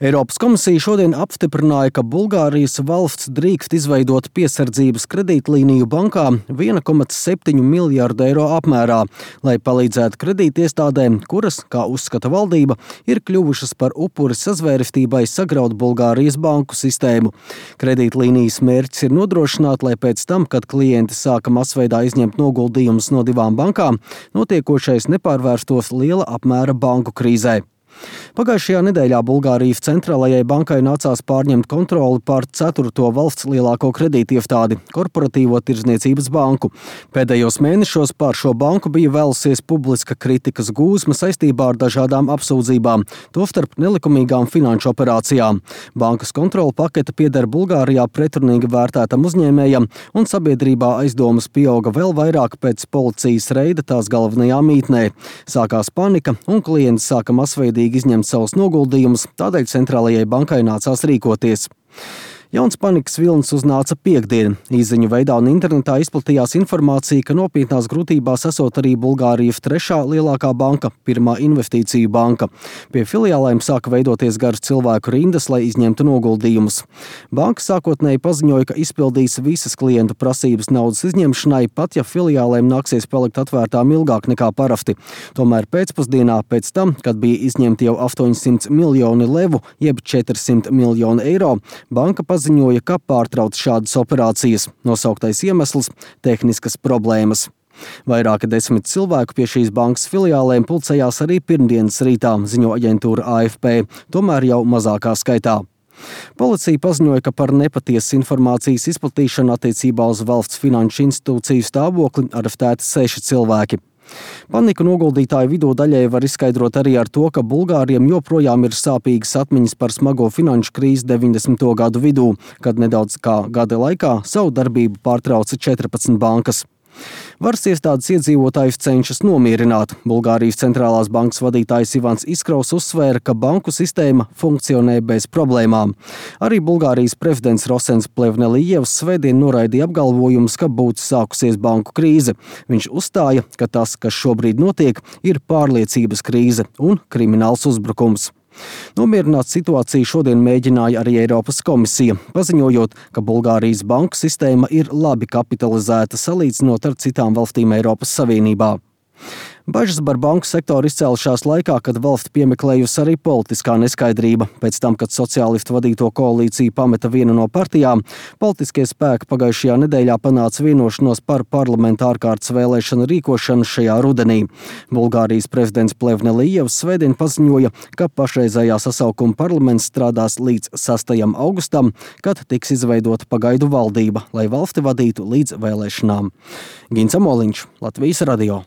Eiropas komisija šodien apstiprināja, ka Bulgārijas valsts drīkst izveidot piesardzības kredītlīniju bankā 1,7 miljārdu eiro apmērā, lai palīdzētu kredītiestādēm, kuras, kā uzskata valdība, ir kļuvušas par upuri sazvērestībai sagraut Bulgārijas banku sistēmu. Kredītlīnijas mērķis ir nodrošināt, lai pēc tam, kad klienti sāka masveidā izņemt noguldījumus no divām bankām, notiekošais nepārvērstos liela apmēra banku krīzē. Pagājušajā nedēļā Bulgārijas centrālajai bankai nācās pārņemt kontroli pār 4. valsts lielāko kredītiestādi – Korporatīvo tirdzniecības banku. Pēdējos mēnešos pār šo banku bija vēlusies publiska kritikas gūzma saistībā ar dažādām apsūdzībām, tostarp nelikumīgām finanšu operācijām. Bankas kontrola pakete pieder Bulgārijā pretrunīgi vērtētam uzņēmējam, un sabiedrībā aizdomas pieauga vēl vairāk pēc policijas reida tās galvenajā mītnē. Sākās panika, un klienti sāka masveidīgi izņemt savus noguldījumus, tādēļ centrālajai bankai nācās rīkoties. Jauns panikas vilnis uznāca piektdien. Īsziņu veidā un internetā izplatījās informācija, ka nopietnās grūtībās esot arī Bulgārijas trešā lielākā banka, Pirmā investīciju banka. Pie filiālēm sāka veidoties garas cilvēku rindas, lai izņemtu noguldījumus. Banka sākotnēji paziņoja, ka izpildīs visas klientu prasības naudas izņemšanai, pat ja filiālēm nāksies palikt atvērtām ilgāk nekā parasti. Tomēr pēcpusdienā pēc tam, kad bija izņemti jau 800 miljoni levu, jeb 400 miljoni eiro, banka paziņoja, ka pārtrauc šādas operācijas. Nosauktais iemesls – tehniskas problēmas. Vairāki 10 cilvēku pie šīs bankas filiālēm pulcējās arī pirmdienas rītā, ziņo aģentūra AFP, tomēr jau mazākā skaitā. Policija paziņoja, ka par nepatiesas informācijas izplatīšanu attiecībā uz valsts finanšu institūciju stāvokli arestēti 6 cilvēki. Paniku noguldītāju vidū daļai var izskaidrot arī ar to, ka Bulgāriem joprojām ir sāpīgas atmiņas par smago finanšu krīzi 90. gadu vidū, kad nedaudz kā gada laikā savu darbību pārtrauca 14 bankas. Varas iestādes iedzīvotājus cenšas nomierināt. Bulgārijas centrālās bankas vadītājs Ivans Iskraus uzsvēra, ka banku sistēma funkcionē bez problēmām. Arī Bulgārijas prezidents Rosens Plevnelijevs svētdien noraidīja apgalvojumus, ka būtu sākusies banku krīze. Viņš uzstāja, ka tas, kas šobrīd notiek, ir pārliecības krīze un krimināls uzbrukums. Nomierināt situāciju šodien mēģināja arī Eiropas komisija, paziņojot, ka Bulgārijas banku sistēma ir labi kapitalizēta salīdzinot ar citām valstīm Eiropas Savienībā. Bažas par banku sektoru izcēlušās laikā, kad valsti piemeklējusi arī politiskā neskaidrība. Pēc tam, kad sociālistu vadīto koalīciju pameta viena no partijām, politiskie spēki pagājušajā nedēļā panāca vienošanos par parlamenta ārkārtas vēlēšanu rīkošanu šajā rudenī. Bulgārijas prezidents Plevnelijevs svētdien paziņoja, ka pašreizējā sasaukuma parlaments strādās līdz 6. augustam, kad tiks izveidota pagaidu valdība, lai valsti vadītu līdz vēlēšanām. Gins Amoliņš, Latvijas radio.